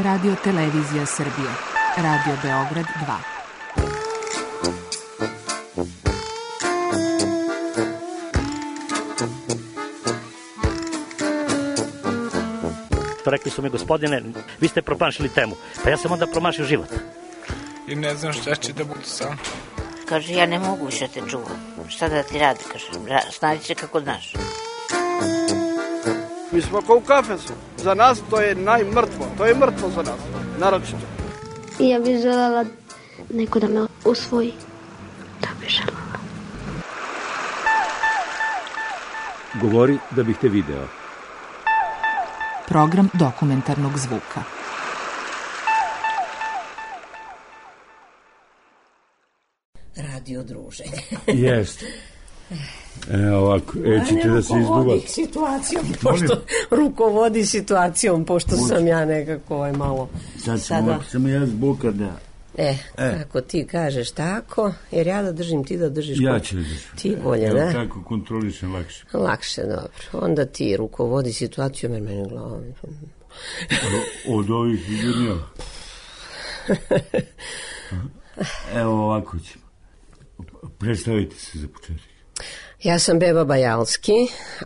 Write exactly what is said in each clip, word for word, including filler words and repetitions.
Radio Televizija Srbije, Radio Beograd dva. Rekli su mi, gospodine, vi ste promašili temu. Pa ja sam onda promašio život. I ne znam šta će da bude sam. Kaže, ja ne mogu više te čuvam. Šta da ti radi, kaže, snađi se kako znaš. Mi smo kao u kafesu. Za nas to je najmrtvo. To je mrtvo za nas, naročito. I ja bih želela neko da me usvoji. Da bih želela. Govori da bih te video. Program dokumentarnog zvuka. Radio druženje. Jeste. E, ovako, e, ćete da se izduva. Situacijom, pošto rukovodi situacijom, pošto Uči. sam ja nekako ovaj malo... Sad sam, sada... sam ja zbuka da... E, e, ako ti kažeš tako, jer ja da držim, ti da držiš... Ja ću da držim. Ti bolje, da? Ja tako kontrolišem lakše. Lakše, dobro. Onda ti rukovodi situacijom, jer meni glava... Od ovih ljudnjava. Evo ovako ćemo. Predstavite se za početak. Ja sam Beba Bajalski,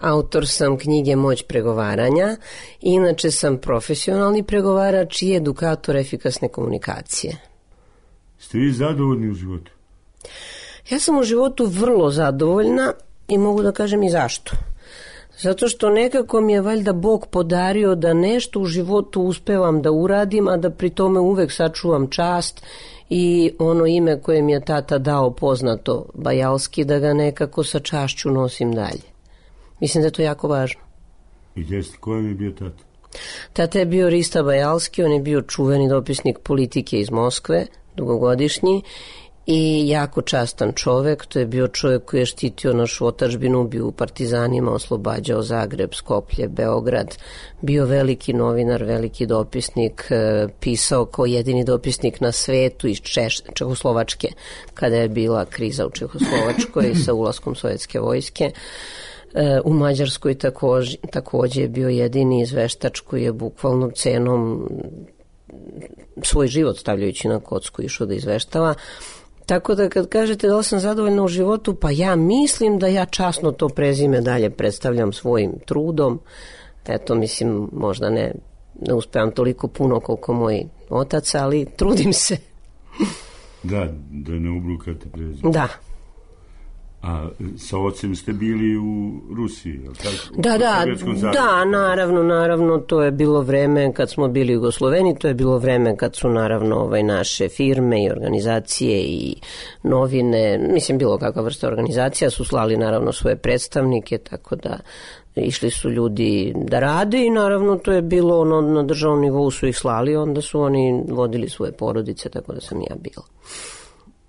autor sam knjige Moć pregovaranja, inače sam profesionalni pregovarač i edukator efikasne komunikacije. Ste vi zadovoljni u životu? Ja sam u životu vrlo zadovoljna i mogu da kažem i zašto. Zato što nekako mi je valjda Bog podario da nešto u životu uspevam da uradim, a da pri tome uvek sačuvam čast i ono ime koje mi je tata dao poznato, Bajalski, da ga nekako sa čašću nosim dalje. Mislim da je to jako važno. I jeste, ko je bio tata? Tata je bio Rista Bajalski, on je bio čuveni dopisnik politike iz Moskve, dugogodišnji, i jako častan čovek. To je bio čovek koji je štitio našu otadžbinu, bio u partizanima, oslobađao Zagreb, Skoplje, Beograd, bio veliki novinar, veliki dopisnik, pisao kao jedini dopisnik na svetu iz Češ, Čehoslovačke, kada je bila kriza u Čehoslovačkoj sa ulaskom sovjetske vojske. U Mađarskoj takođe, takođe je bio jedini izveštač koji je bukvalno cenom svoj život stavljajući na kocku išao da izveštava. Tako da kad kažete da li sam zadovoljna u životu, pa ja mislim da ja časno to prezime dalje predstavljam svojim trudom. Eto, mislim, možda ne, ne uspevam toliko puno koliko moj otac, ali trudim se. Da, da ne ubrukate prezime. Da. A sa ocem ste bili u Rusiji, je li tako? Da, da, da, naravno, naravno, to je bilo vreme kad smo bili Jugosloveni, to je bilo vreme kad su naravno ovaj, naše firme i organizacije i novine, mislim bilo kakva vrsta organizacija, su slali naravno svoje predstavnike, tako da išli su ljudi da rade i naravno to je bilo ono, na državnom nivou su ih slali, onda su oni vodili svoje porodice, tako da sam ja bila.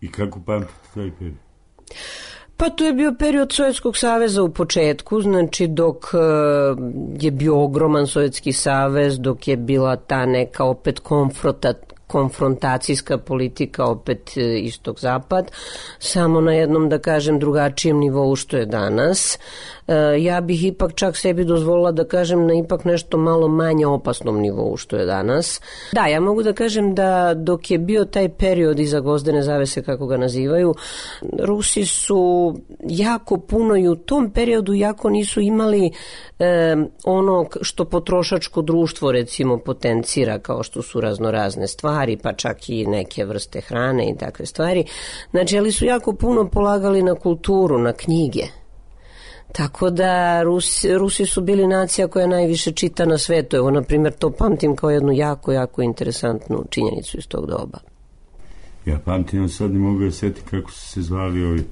I kako pamtite taj period? Pa to je bio period Sovjetskog saveza u početku, znači dok je bio ogroman Sovjetski savez, dok je bila ta neka opet konfronta, konfrontacijska politika opet istok-zapad, samo na jednom, da kažem, drugačijem nivou što je danas. Ja bih ipak čak sebi dozvolila da kažem na ipak nešto malo manje opasnom nivou što je danas. Da, ja mogu da kažem da dok je bio taj period iza gvozdene zavese, kako ga nazivaju, Rusi su jako puno i u tom periodu jako nisu imali eh, ono što potrošačko društvo recimo potencira, kao što su raznorazne stvari, pa čak i neke vrste hrane i takve stvari. Znači, ali su jako puno polagali na kulturu, na knjige. Tako da Rusi, Rusi su bili nacija koja najviše čita na svetu. Evo, na primjer, to pamtim kao jednu jako, jako interesantnu činjenicu iz tog doba. Ja pamtim, sad ne mogu da sjetiti kako su se zvali ovi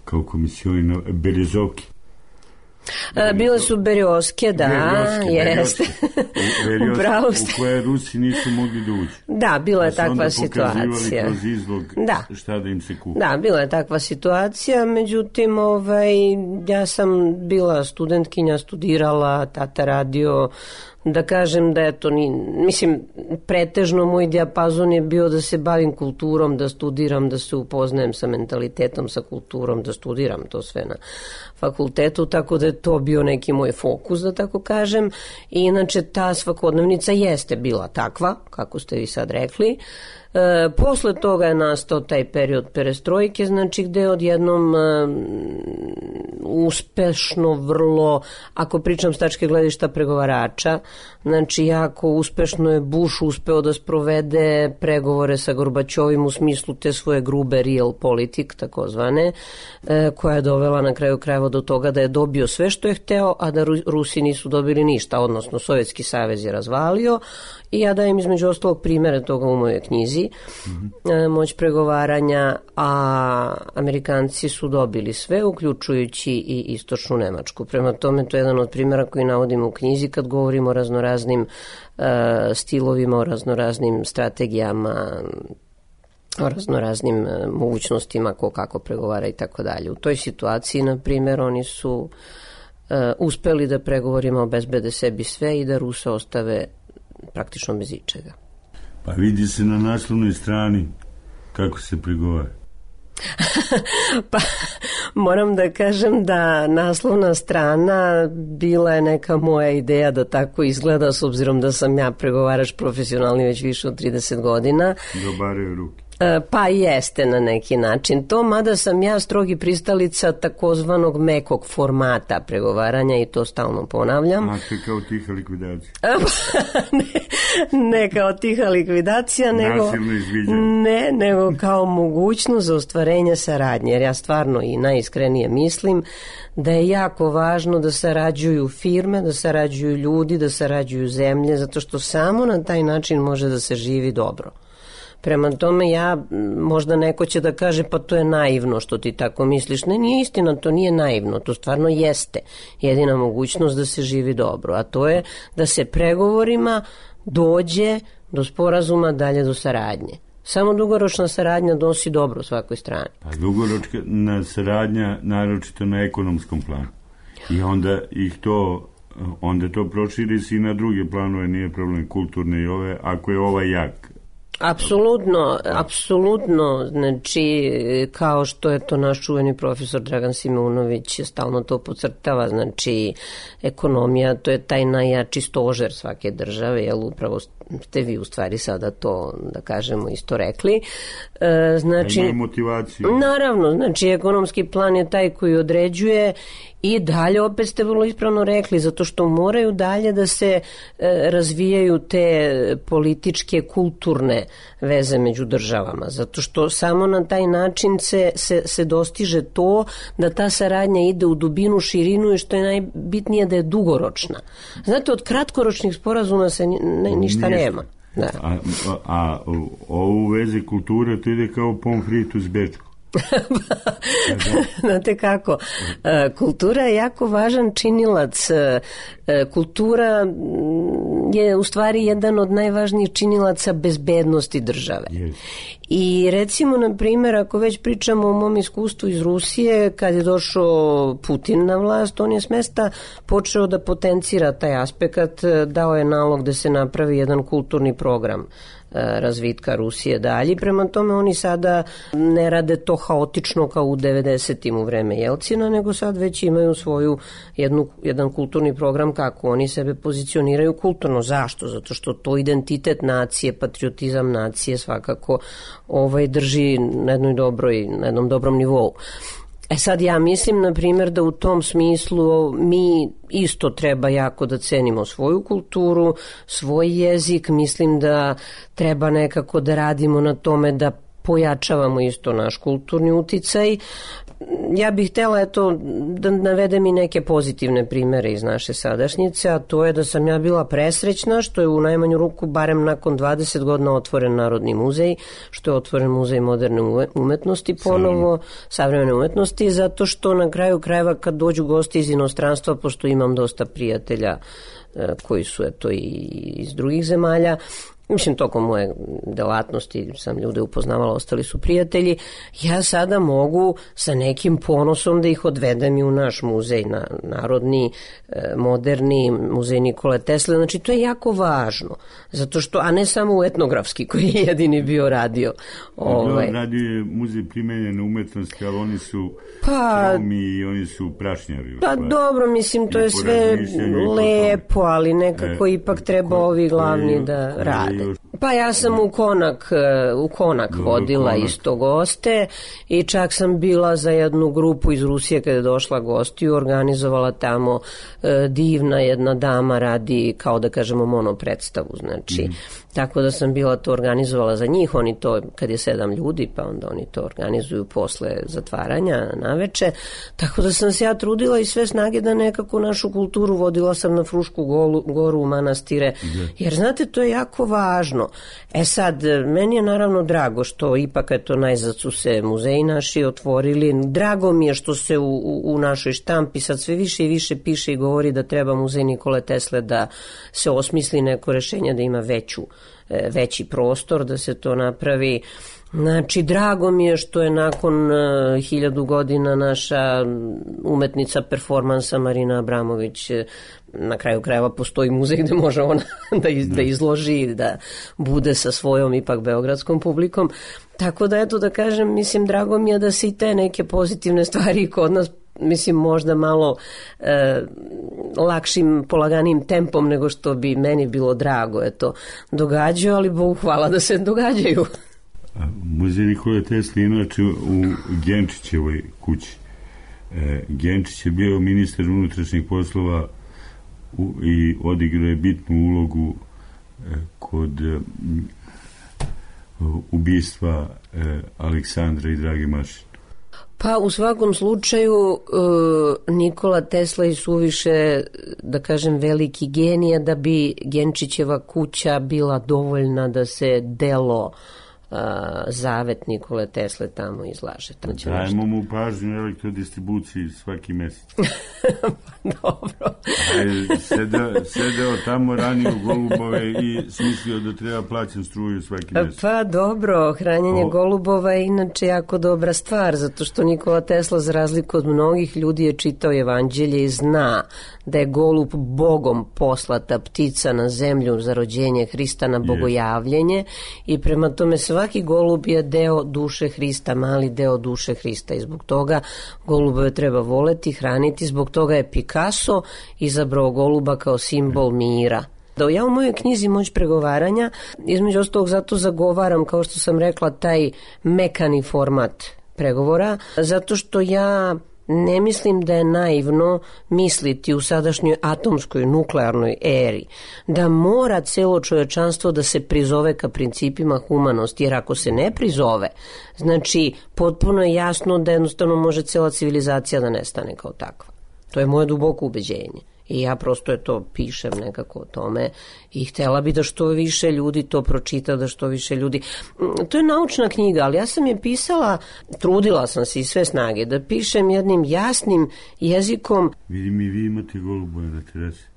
kao komisioni Berezovki. A, bile su Berioske, da, Berioske, jeste. Berioske, u koje Rusi nisu mogli da uđu. Da, bila je da takva situacija. Kroz izlog da. Šta da im se kupi. Da, bila je takva situacija, međutim, ovaj, ja sam bila studentkinja, studirala, tata radio, da kažem da eto, ni, mislim, pretežno moj dijapazon je bio da se bavim kulturom, da studiram, da se upoznajem sa mentalitetom, sa kulturom, da studiram to sve na fakultetu, tako da je to to bio neki moj fokus, da tako kažem. I inače ta svakodnevnica jeste bila takva, kako ste vi sad rekli. E, posle toga je nastao taj period perestrojke, znači gde odjednom e, uspešno vrlo, ako pričam s tačke gledišta pregovarača, znači jako uspešno je Bush uspeo da sprovede pregovore sa Gorbačovim u smislu te svoje grube real politik, takozvane, e, koja je dovela na kraju krajeva do toga da je dobio sve što je hteo, a da Rusi nisu dobili ništa, odnosno Sovjetski savez je razvalio. I ja dajem između ostalog primere toga u mojoj knjizi, mm-hmm. Moć pregovaranja, a Amerikanci su dobili sve, uključujući i istočnu Nemačku. Prema tome, to je jedan od primjera koji navodimo u knjizi kad govorimo o raznoraznim uh, stilovima, o raznoraznim strategijama, o raznoraznim uh, mogućnostima ko kako pregovara i tako dalje. U toj situaciji, na primjer, oni su uh, uspeli da pregovorima obezbede sebi sve i da Rusa ostave praktično bez ičega. Pa vidi se na naslovnoj strani kako se pregovara. Pa moram da kažem da naslovna strana bila je neka moja ideja da tako izgleda, s obzirom da sam ja pregovarač profesionalni već više od trideset godina. Dobaraju ruke. Pa jeste na neki način to, mada sam ja strogi pristalica takozvanog mekog formata pregovaranja i to stalno ponavljam. A te kao tiha likvidacija? ne, ne kao tiha likvidacija, nego, ne, nego kao mogućnost za ostvarenje saradnje, jer ja stvarno i najiskrenije mislim da je jako važno da sarađuju firme, da sarađuju ljudi, da sarađuju zemlje, zato što samo na taj način može da se živi dobro. Prema tome, ja, možda neko će da kaže pa to je naivno što ti tako misliš. Ne, nije istina, to nije naivno, to stvarno jeste jedina mogućnost da se živi dobro, a to je da se pregovorima dođe do sporazuma, dalje do saradnje. Samo dugoročna saradnja donosi dobro svakoj strani. Pa dugoročna saradnja naročito na ekonomskom planu. I onda ih to, onda to proširi se i na druge planove, nije problem kulturne i ove, ako je ovaj jak. Apsolutno, apsolutno, znači kao što je to naš čuveni profesor Dragan Simeunović stalno to podcrtava, znači ekonomija, to je taj najjači stožer svake države, jel upravo ste vi u stvari sada to, da kažemo, isto rekli. E, znači, ima motivaciju. Naravno, znači ekonomski plan je taj koji određuje i dalje, opet ste vrlo ispravno rekli, zato što moraju dalje da se e, razvijaju te političke, kulturne veze među državama, zato što samo na taj način se, se, se dostiže to da ta saradnja ide u dubinu, širinu i što je najbitnije da je dugoročna. Znate, od kratkoročnih sporazuma se ne, ništa nema. Da. A, a, a ovo u vezi kulture to ide kao pomfrit uz Bečku. Znate kako, kultura je jako važan činilac. Kultura je u stvari jedan od najvažnijih činilaca bezbednosti države. Yes. I recimo, na primjer, ako već pričamo o mom iskustvu iz Rusije, kad je došao Putin na vlast, on je s mesta počeo da potencira taj aspekt, dao je nalog da se napravi jedan kulturni program razvitka Rusije dalje. Prema tome oni sada ne rade to haotično kao u devedesetim u vreme Jelcina, nego sad već imaju svoju jednu, jedan kulturni program kako oni sebe pozicioniraju kulturno. Zašto? Zato što to identitet nacije, patriotizam nacije svakako ovaj drži na jednoj dobroj, na jednom dobrom nivou. E sad ja mislim, na primjer, da u tom smislu mi isto treba jako da cenimo svoju kulturu, svoj jezik, mislim da treba nekako da radimo na tome da pojačavamo isto naš kulturni uticaj. Ja bih htjela eto, da navedem i neke pozitivne primere iz naše sadašnjice, a to je da sam ja bila presrećna što je u najmanju ruku barem nakon dvadeset godina otvoren Narodni muzej, što je otvoren Muzej moderne umetnosti ponovo, savremene umetnosti, zato što na kraju krajeva kad dođu gosti iz inostranstva, pošto imam dosta prijatelja koji su eto i iz drugih zemalja, mislim, tokom moje delatnosti sam ljude upoznavala, ostali su prijatelji, ja sada mogu sa nekim ponosom da ih odvedem i u naš muzej, na, narodni, moderni, muzej Nikole Tesle, znači to je jako važno, zato što, a ne samo u etnografski koji je jedini bio radio. Ovaj. Radio je muzej primenjene umetnosti, ali oni su pa, tromi i oni su prašnjari. Pa dobro, mislim, to je sve lepo, ali nekako e, ipak treba ko, ovi glavni je, da rade. Pa ja sam u Konak, u Konak Dobro, vodila Konak. Isto goste i čak sam bila za jednu grupu iz Rusije kada je došla gostiju, organizovala tamo e, divna jedna dama radi, kao da kažemo, monopredstavu, znači, mm. tako da sam bila to organizovala za njih, oni to, kad je sedam ljudi, pa onda oni to organizuju posle zatvaranja naveče, tako da sam se ja trudila i sve snage da nekako našu kulturu vodila sam na Frušku golu, goru u manastire, jer znate, to je jako važno. E sad, meni je naravno drago što ipak eto najzad su se muzeji naši otvorili, drago mi je što se u, u, u našoj štampi sad sve više i više piše i govori da treba muzej Nikole Tesle da se osmisli neko rešenje, da ima veću, veći prostor, da se to napravi. Znači, drago mi je što je nakon uh, hiljadu godina naša umetnica performansa Marina Abramović, na kraju krajeva postoji muzej gde može ona da, iz, da izloži, da bude sa svojom ipak beogradskom publikom. Tako da, eto da kažem, mislim, drago mi je da se i te neke pozitivne stvari kod nas, mislim, možda malo e, lakšim, polaganim tempom nego što bi meni bilo drago, eto, događaju, ali Bogu hvala da se događaju. Muzej Nikole Tesle inače u Genčićevoj kući. E, Genčić je bio ministar unutrašnjih poslova u, i odigrao je bitnu ulogu e, kod e, ubistva e, Aleksandra i Drage Mašin. Pa u svakom slučaju e, Nikola Tesla je suviše, da kažem, veliki genija da bi Genčićeva kuća bila dovoljna da se delo Uh, zavet Nikole Tesle tamo izlaže. Tamo Dajemo mu pažnju elektrodistribuciji svaki mesec. Dobro. Sedeo, sedeo tamo, ranio golubove i smislio da treba plaćam struju svaki mesec. Pa dobro, hranjenje o... golubova je inače jako dobra stvar, zato što Nikola Tesla, za razliku od mnogih ljudi, je čitao evanđelje i zna da je golub Bogom poslata ptica na zemlju za rođenje Hrista, na bogojavljenje, i prema tome svaki golub je deo duše Hrista, mali deo duše Hrista, i zbog toga golubove treba voleti, hraniti, zbog toga je Picasso izabrao goluba kao simbol mira. Da ja u mojoj knjizi Moć pregovaranja, između ostalog zato zagovaram, kao što sam rekla, taj mekani format pregovora, zato što ja ne mislim da je naivno misliti u sadašnjoj atomskoj nuklearnoj eri da mora celo čovečanstvo da se prizove ka principima humanosti, jer ako se ne prizove, znači potpuno je jasno da jednostavno može cela civilizacija da nestane kao takva. To je moje duboko ubeđenje. I ja prosto je to pišem nekako o tome i htjela bi da što više ljudi to pročita, da što više ljudi... To je naučna knjiga, ali ja sam je pisala, trudila sam se i sve snage da pišem jednim jasnim jezikom. Vidim i vi imate golubove na terasi.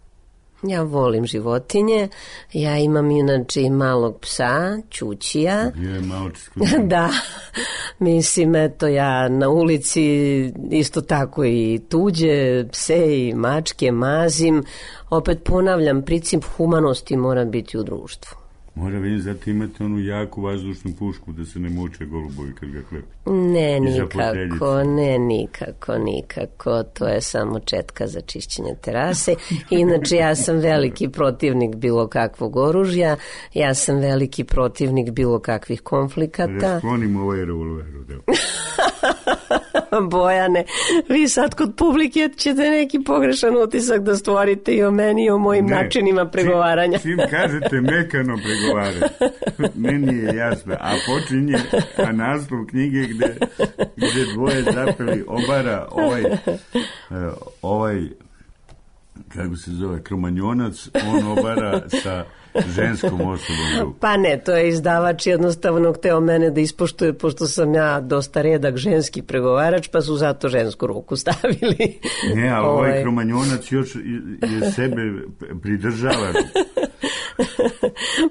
Ja volim životinje, ja imam inače i malog psa, Ćućija. Je malčisko. Da, mislim, eto, ja na ulici isto tako i tuđe pse i mačke mazim. Opet ponavljam, princip humanosti mora biti u društvu. Mora vidim, zato imate onu jaku vazdušnu pušku da se ne muče golubovi kad ga klepe. Ne, nikako, ne, nikako, nikako. To je samo četka za čišćenje terase. Inače, ja sam veliki protivnik bilo kakvog oružja, ja sam veliki protivnik bilo kakvih konflikata. Rasklonim ovaj revolver. Bojane, vi sad kod publike ćete neki pogrešan utisak da stvorite i o meni i o mojim ne, načinima pregovaranja. Čim, čim kažete mekano pregovaranje, meni je jasno. A počinje, a naslov knjige gde, gde dvoje zapeli obara ovaj, ovaj, kako se zove, kromanjonac, on obara sa ženskom osobom. Pa ne, to je izdavač jednostavno hteo mene da ispoštuje, pošto sam ja dosta redak ženski pregovarač, pa su zato žensku ruku stavili. Ne, a ovaj kromanjonac još je sebe pridržava.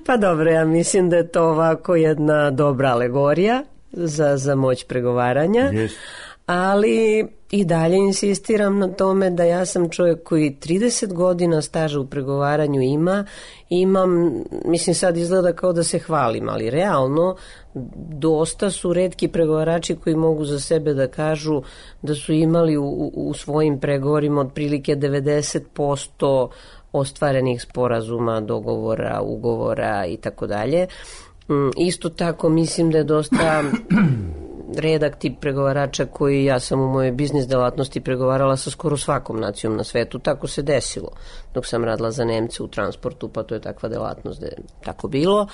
Pa dobro, ja mislim da je to ovako jedna dobra alegorija za, za moć pregovaranja. Yes. Ali i dalje insistiram na tome da ja sam čovjek koji trideset godina staža u pregovaranju ima, imam, mislim sad izgleda kao da se hvalim, ali realno dosta su retki pregovarači koji mogu za sebe da kažu da su imali u, u svojim pregovorima otprilike devedeset posto ostvarenih sporazuma, dogovora, ugovora i tako dalje. Isto tako mislim da je dosta redak tip pregovarača koji ja sam u mojoj biznis delatnosti pregovarala sa skoro svakom nacijom na svetu. Tako se desilo dok sam radila za Nemce u transportu, pa to je takva delatnost da je tako bilo.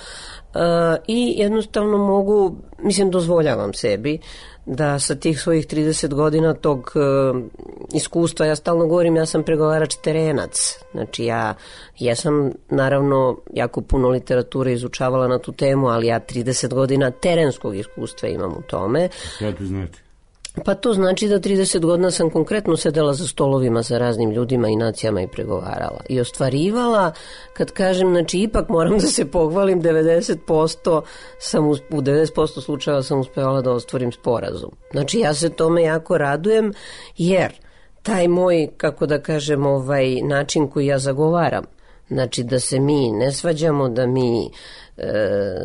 E, I jednostavno mogu, mislim, dozvoljavam sebi da sa tih svojih trideset godina tog e, iskustva, ja stalno govorim, ja sam pregovarač terenac. Znači ja jesam naravno jako puno literature izučavala na tu temu, ali ja trideset godina terenskog iskustva imam u tome. Šta to znači? Pa to znači da trideset godina sam konkretno sedela za stolovima sa raznim ljudima i nacijama i pregovarala. I ostvarivala, kad kažem, znači ipak moram da se pohvalim, devedeset posto sam, u devedeset posto slučajeva sam uspevala da ostvarim sporazum. Znači ja se tome jako radujem, jer taj moj, kako da kažem, ovaj način koji ja zagovaram, znači da se mi ne svađamo, da mi e,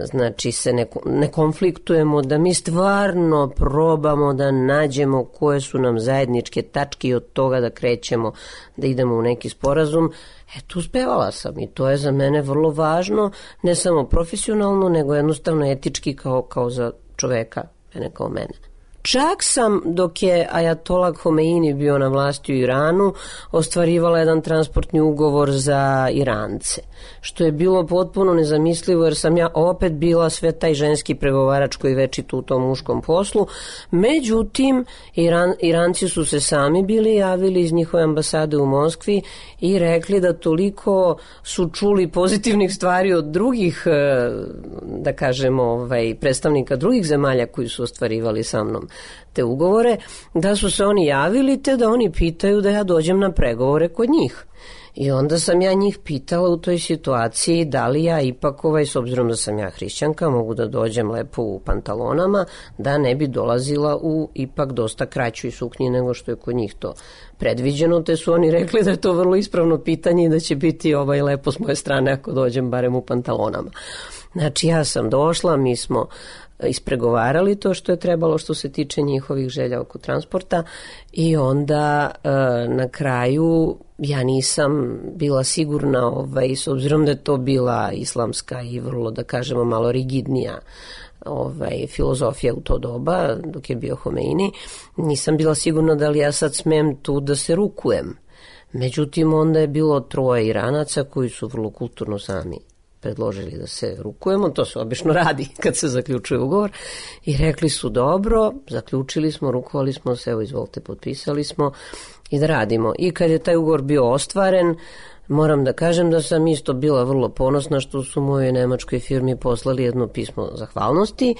znači se ne, ne konfliktujemo, da mi stvarno probamo da nađemo koje su nam zajedničke tačke i od toga da krećemo, da idemo u neki sporazum. Eto, uspevala sam i to je za mene vrlo važno, ne samo profesionalno, nego jednostavno etički kao, kao za čoveka, ne kao mene. Čak sam, dok je Ajatollah Homeini bio na vlasti u Iranu, ostvarivala jedan transportni ugovor za Irance, što je bilo potpuno nezamislivo, jer sam ja opet bila sve taj ženski pregovarač koji večito u tom muškom poslu. Međutim, Iran, Iranci su se sami bili javili iz njihove ambasade u Moskvi i rekli da toliko su čuli pozitivnih stvari od drugih, da kažemo, ovaj, predstavnika drugih zemalja koji su ostvarivali sa mnom te ugovore, da su se oni javili te da oni pitaju da ja dođem na pregovore kod njih. I onda sam ja njih pitala u toj situaciji da li ja ipak, ovaj, s obzirom da sam ja hrišćanka, mogu da dođem lepo u pantalonama, da ne bi dolazila u ipak dosta kraćoj suknji nego što je kod njih to predviđeno, te su oni rekli da je to vrlo ispravno pitanje i da će biti ovaj lepo s moje strane ako dođem barem u pantalonama. Znači ja sam došla, mi smo ispregovarali to što je trebalo što se tiče njihovih želja oko transporta i onda e, na kraju ja nisam bila sigurna, ovaj, s obzirom da je to bila islamska i vrlo, da kažemo, malo rigidnija ovaj, filozofija u to doba dok je bio Homeini, nisam bila sigurna da li ja sad smem tu da se rukujem. Međutim, onda je bilo troje Iranaca koji su vrlo kulturno sami predložili da se rukujemo, to se obično radi kad se zaključuje ugovor, i rekli su dobro, zaključili smo, rukovali smo se, evo izvolite, potpisali smo i da radimo. I kad je taj ugovor bio ostvaren, moram da kažem da sam isto bila vrlo ponosna što su mojoj nemačkoj firmi poslali jedno pismo zahvalnosti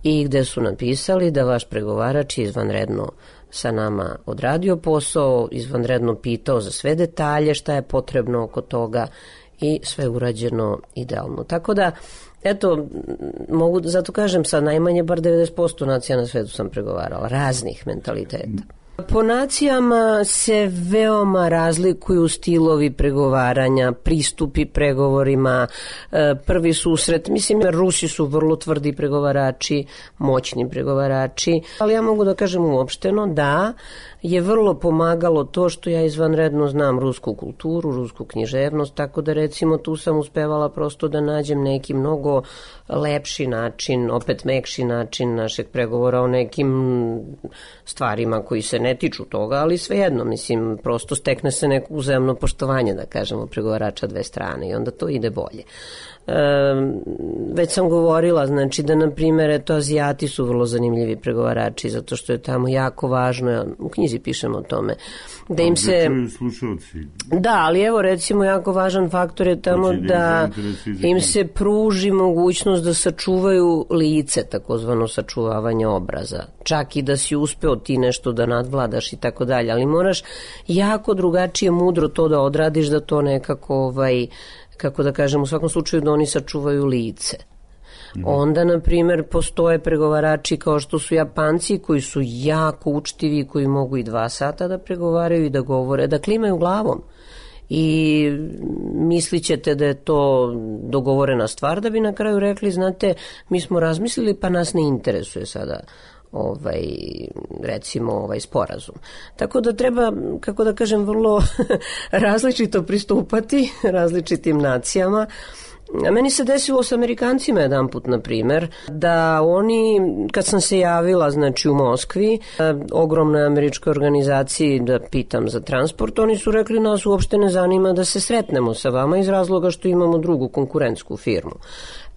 i gde su napisali da vaš pregovarač je izvanredno sa nama odradio posao, izvanredno pitao za sve detalje, šta je potrebno oko toga i sve urađeno idealno. Tako da, eto, mogu, zato kažem, sad najmanje bar devedeset posto nacija na svetu sam pregovarala, raznih mentaliteta. Po nacijama se veoma razlikuju stilovi pregovaranja, pristupi pregovorima, prvi susret. Mislim, Rusi su vrlo tvrdi pregovarači, moćni pregovarači, ali ja mogu da kažem uopšteno da je vrlo pomagalo to što ja izvanredno znam rusku kulturu, rusku književnost, tako da recimo tu sam uspevala prosto da nađem neki mnogo lepši način, opet mekši način našeg pregovora o nekim stvarima koji se ne tiču toga, ali svejedno, mislim, prosto stekne se neko uzajamno poštovanje, da kažemo, pregovarača dve strane i onda to ide bolje. E, već sam govorila, znači da, na primjer, eto, Azijati su vrlo zanimljivi pregovarači, zato što je tamo jako važno, ja u knjizi pišem o tome, da im se... Da, ali evo, recimo, jako važan faktor je tamo da im se pruži mogućnost da sačuvaju lice, takozvano sačuvavanje obraza. Čak i da si uspeo ti nešto da nadvladaš i tako dalje, ali moraš jako drugačije mudro to da odradiš, da to nekako, ovaj, kako da kažem, u svakom slučaju da oni sačuvaju lice. Onda, na primjer, postoje pregovarači kao što su Japanci koji su jako učtivi, koji mogu i dva sata da pregovaraju i da govore, da klimaju glavom. I mislit ćete da je to dogovorena stvar, da bi na kraju rekli, znate, mi smo razmislili pa nas ne interesuje sada ovaj, recimo ovaj sporazum. Tako da treba, kako da kažem, vrlo različito pristupati različitim nacijama. A meni se desilo s Amerikancima jedan put, na primer, da oni, kad sam se javila, znači u Moskvi, ogromnoj američkoj organizaciji da pitam za transport, oni su rekli nas uopšte ne zanima da se sretnemo sa vama iz razloga što imamo drugu konkurentsku firmu.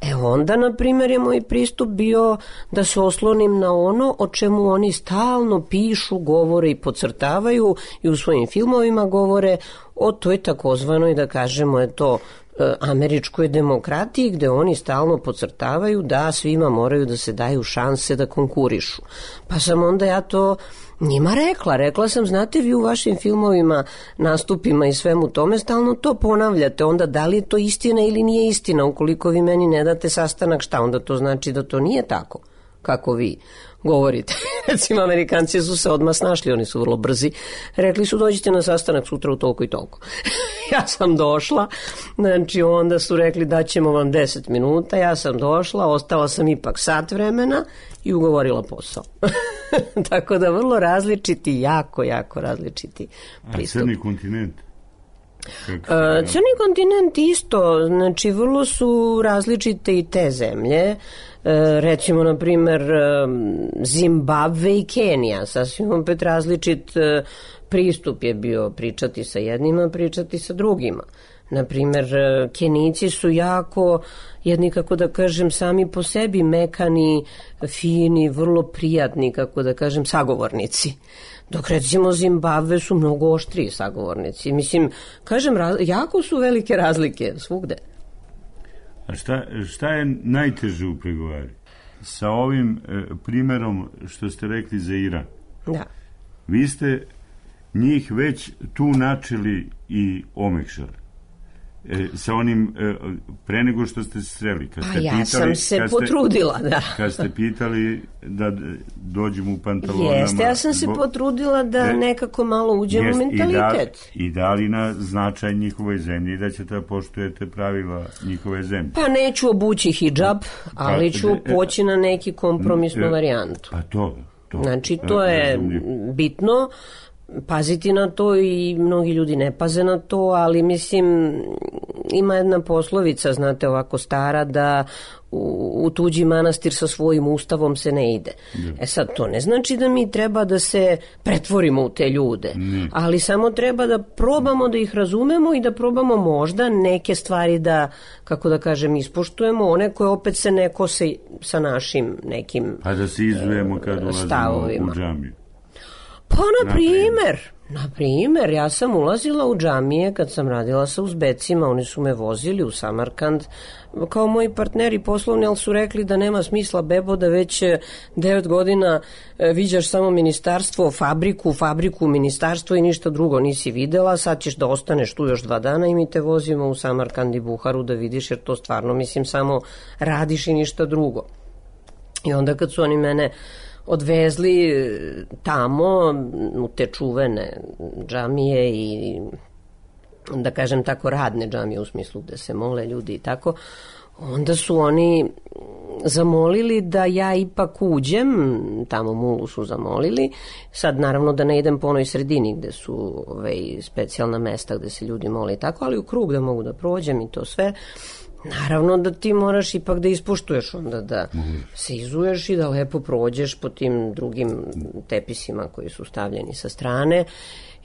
E onda, na primjer, je moj pristup bio da se oslonim na ono o čemu oni stalno pišu, govore i podcrtavaju i u svojim filmovima govore o toj takozvanoj, da kažemo, je to američkoj demokratiji, gde oni stalno podcrtavaju da svima moraju da se daju šanse da konkurišu. Pa sam onda ja to njima rekla. Rekla sam, znate, vi u vašim filmovima, nastupima i svemu tome stalno to ponavljate. Onda da li je to istina ili nije istina? Ukoliko vi meni ne date sastanak, šta? Onda to znači da to nije tako kako vi govorite. Recimo, Amerikanci su se odmah snašli, oni su vrlo brzi. Rekli su, dođite na sastanak sutra u toliko i toliko. Ja sam došla, znači onda su rekli da ćemo vam deset minuta, ja sam došla, ostala sam ipak sat vremena i ugovorila posao. Tako da vrlo različiti, jako, jako različiti pristup. A Crni kontinent? Uh, Crni kontinent isto, znači vrlo su različite i te zemlje. Uh, recimo, na primer, Zimbabve i Kenija, sasvim opet različit uh, pristup je bio pričati sa jednima, pričati sa drugima. Na primer, Kenijci su jako, jedni, kako da kažem, sami po sebi mekani, fini, vrlo prijatni, kako da kažem, sagovornici. Dok recimo Zimbabve su mnogo oštriji sagovornici. Mislim, kažem, jako su velike razlike svugde. A šta, šta je najteže u pregovari? Sa ovim e, primjerom što ste rekli za Iran. Da. Vi ste njih već tu načeli i omekšali. E, sa onim, e, pre nego što ste se sreli. Kad ste A ja pitali, sam se kad ste, potrudila, da. Kad ste pitali da dođem u pantalonama... Jeste, ja sam se bo, potrudila da e, nekako malo uđem jest, u mentalitet. I, da, I dali na značaj njihove zemlje i da ćete da poštujete pravila njihove zemlje. Pa neću obući hidžab, ali ću pa, poći na neki kompromisnu e, varijantu. Pa to, to. Znači, to je bitno. Paziti na to i mnogi ljudi ne paze na to, ali mislim ima jedna poslovica, znate, ovako stara, da u, u tuđi manastir sa svojim ustavom se ne ide. Ne. E sad, to ne znači da mi treba da se pretvorimo u te ljude, ne. Ali samo treba da probamo da ih razumemo i da probamo možda neke stvari da, kako da kažem, ispoštujemo, one koje opet se ne kose sa našim nekim pa da se izujemo kad ulazimo u džamiju. Pa, na primer, na primer, ja sam ulazila u džamije kad sam radila sa Uzbecima, oni su me vozili u Samarkand kao moji partneri poslovni, ali su rekli da nema smisla, bebo, da već devet godina viđaš samo ministarstvo, fabriku, fabriku, ministarstvo i ništa drugo nisi videla, sad ćeš da ostaneš tu još dva dana i mi te vozimo u Samarkand i Buharu da vidiš, jer to stvarno, mislim, samo radiš i ništa drugo. I onda kad su oni mene odvezli tamo u te čuvene džamije i, da kažem tako, radne džamije u smislu gde se mole ljudi i tako, onda su oni zamolili da ja ipak uđem, tamo mulu su zamolili, sad naravno da ne idem po onoj sredini gde su ovaj, specijalna mesta gde se ljudi mole i tako, ali u krug da mogu da prođem i to sve. Naravno da ti moraš ipak da ispoštuješ onda, da se izuješ i da lepo prođeš po tim drugim tepisima koji su stavljeni sa strane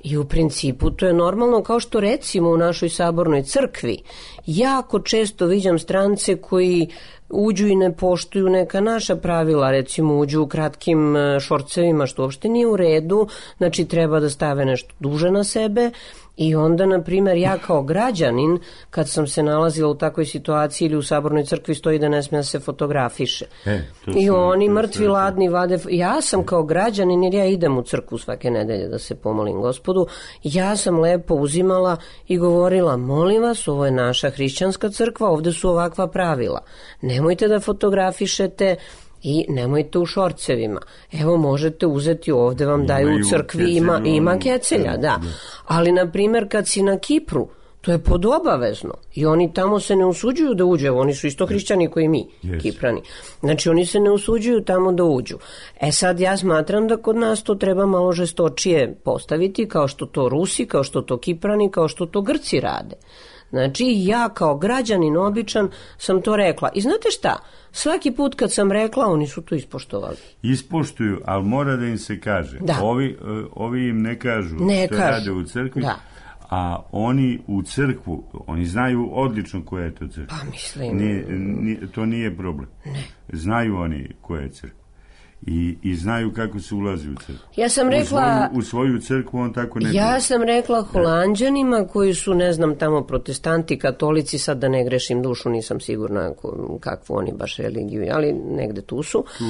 i u principu to je normalno, kao što recimo u našoj sabornoj crkvi jako često viđam strance koji uđu i ne poštuju neka naša pravila, recimo uđu u kratkim šorcevima, što uopšte nije u redu, znači treba da stave nešto duže na sebe I onda, na primjer, ja kao građanin, kad sam se nalazila u takvoj situaciji ili u Sabornoj crkvi stoji da ne smije da se fotografiše. E, I oni mrtvi, ladni, vade... Ja sam kao građanin, jer ja idem u crkvu svake nedelje da se pomolim Gospodu, ja sam lepo uzimala i govorila, molim vas, ovo je naša hrišćanska crkva, ovde su ovakva pravila. Nemojte da fotografišete i nemojte u šorcevima. Evo, možete uzeti ovde, vam daju u crkvi, ima, ima kecelja, da. Ali, na primjer, kad si na Kipru, to je podobavezno i oni tamo se ne usuđuju da uđu, oni su isto hrišćani koji mi, yes. Kiprani. Znači, oni se ne usuđuju tamo da uđu. E sad, ja smatram da kod nas to treba malo žestočije postaviti, kao što to Rusi, kao što to Kiprani, kao što to Grci rade. Znači, ja kao građanin običan sam to rekla. I znate šta? Svaki put kad sam rekla, oni su to ispoštovali. Ispoštuju, ali mora da im se kaže. Da. Ovi, ovi im ne kažu ne što kažu. Rade u crkvi, da. A oni u crkvu, oni znaju odlično koja je to crkva. Pa mislim... Nije, nije, to nije problem. Ne. Znaju oni koja je crkva. I, i znaju kako se ulazi u crkvu. Ja sam rekla... U svoju, u svoju crkvu on tako ne... Ja sam rekla Holanđanima koji su, ne znam, tamo protestanti, katolici, sad da ne grešim dušu, nisam sigurna kakvu oni baš religiju, ali negde tu su. Tu.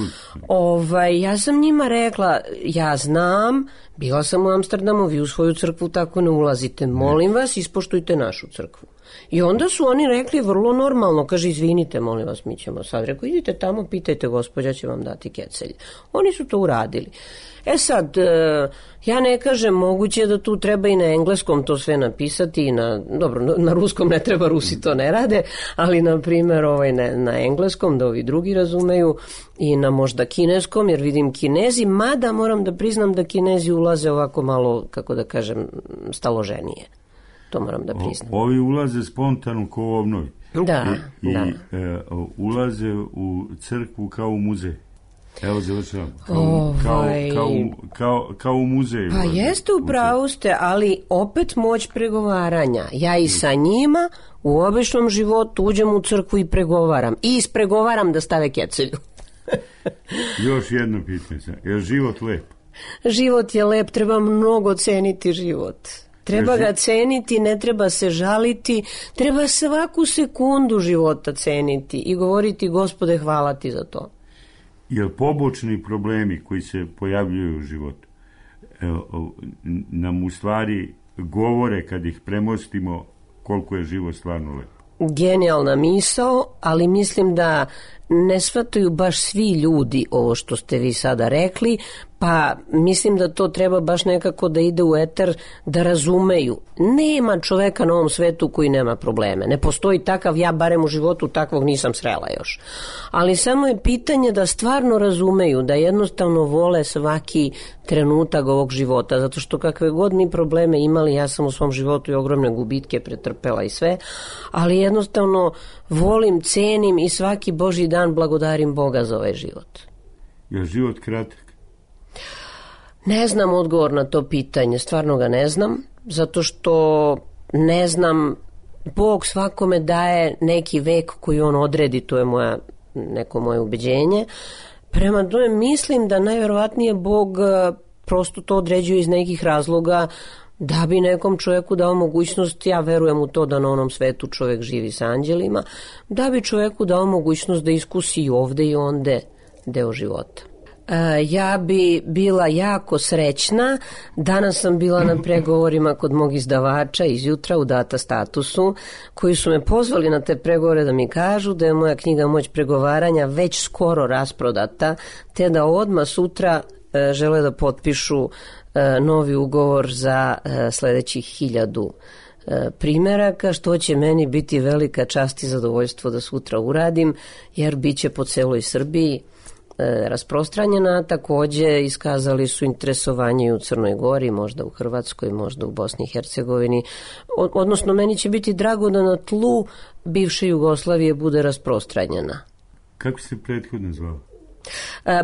Ovaj, ja sam njima rekla, ja znam, bila sam u Amsterdamu, vi u svoju crkvu tako ne ulazite, molim ne. vas, ispoštujte našu crkvu. I onda su oni rekli vrlo normalno, kaže, izvinite, molim vas, mi ćemo sad. Rekao, idite tamo, pitajte, gospođa će vam dati kecelj. Oni su to uradili. E sad, ja ne kažem, moguće da tu treba i na engleskom to sve napisati, i na, dobro, na ruskom ne treba, Rusi to ne rade, ali na primjer ovaj, na, na engleskom, da ovi drugi razumeju, i na možda kineskom, jer vidim Kinezi, mada moram da priznam da Kinezi ulaze ovako malo, kako da kažem, staloženije. To moram da priznam. O, ovi ulaze spontano ko u obnovi. Da, I, da. I e, ulaze u crkvu kao u muzej. Evo završavam. Kao, ovaj... kao, kao, kao, kao u muzeju. Pa ulaze, jeste, upravo ste, ali opet moć pregovaranja. Ja i sa njima u običnom životu uđem u crkvu i pregovaram. I ispregovaram da stave kecelju. Još jedno pitanje. Je život lep? Život je lep, treba mnogo ceniti život. Treba ga ceniti, ne treba se žaliti, treba svaku sekundu života ceniti i govoriti, Gospode, hvala ti za to. Jer pobočni problemi koji se pojavljuju u životu evo, nam u stvari govore kad ih premostimo koliko je život stvarno lep. Genijalna misao, ali mislim da ne shvataju baš svi ljudi ovo što ste vi sada rekli, pa mislim da to treba baš nekako da ide u eter, da razumeju. Nema čoveka na ovom svetu koji nema probleme. Ne postoji takav, ja barem u životu takvog nisam srela još. Ali samo je pitanje da stvarno razumeju, da jednostavno vole svaki trenutak ovog života, zato što kakve god mi probleme imali, ja sam u svom životu i ogromne gubitke pretrpela i sve, ali jednostavno volim, cenim i svaki Božji dan blagodarim Boga za ovaj život. Je život kratak? Ne znam odgovor na to pitanje, stvarno ga ne znam, zato što ne znam, Bog svakome daje neki vek koji on odredi, to je moja, neko moje ubeđenje. Prema tome mislim da najverovatnije Bog prosto to određuje iz nekih razloga da bi nekom čovjeku dao mogućnost, ja verujem u to da na onom svetu čovjek živi sa anđelima, da bi čovjeku dao mogućnost da iskusi i ovde i onde deo života. Ja bi bila jako srećna, danas sam bila na pregovorima kod mog izdavača izjutra u Data Statusu, koji su me pozvali na te pregovore da mi kažu da je moja knjiga Moć pregovaranja već skoro rasprodata, te da odmah sutra žele da potpišu novi ugovor za sledećih hiljadu primeraka, što će meni biti velika čast i zadovoljstvo da sutra uradim, jer bit će po celoj Srbiji rasprostranjena. Takođe iskazali su interesovanje u Crnoj Gori, možda u Hrvatskoj, možda u Bosni i Hercegovini. Odnosno, meni će biti drago da na tlu bivše Jugoslavije bude rasprostranjena. Kako se prethodno zvala?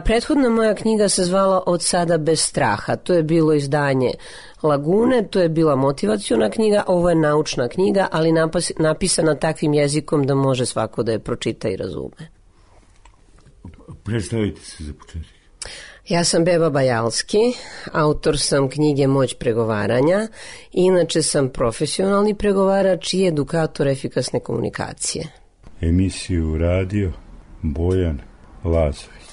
Prethodna moja knjiga se zvala Od sada bez straha. To je bilo izdanje Lagune, to je bila motivaciona knjiga, ovo je naučna knjiga, ali napisana takvim jezikom da može svako da je pročita i razume. Predstavite se za početak. Ja sam Beba Bajalski, autor sam knjige Moć pregovaranja, inače sam profesionalni pregovarač i edukator efikasne komunikacije. Emisiju radio Bojan Lazović.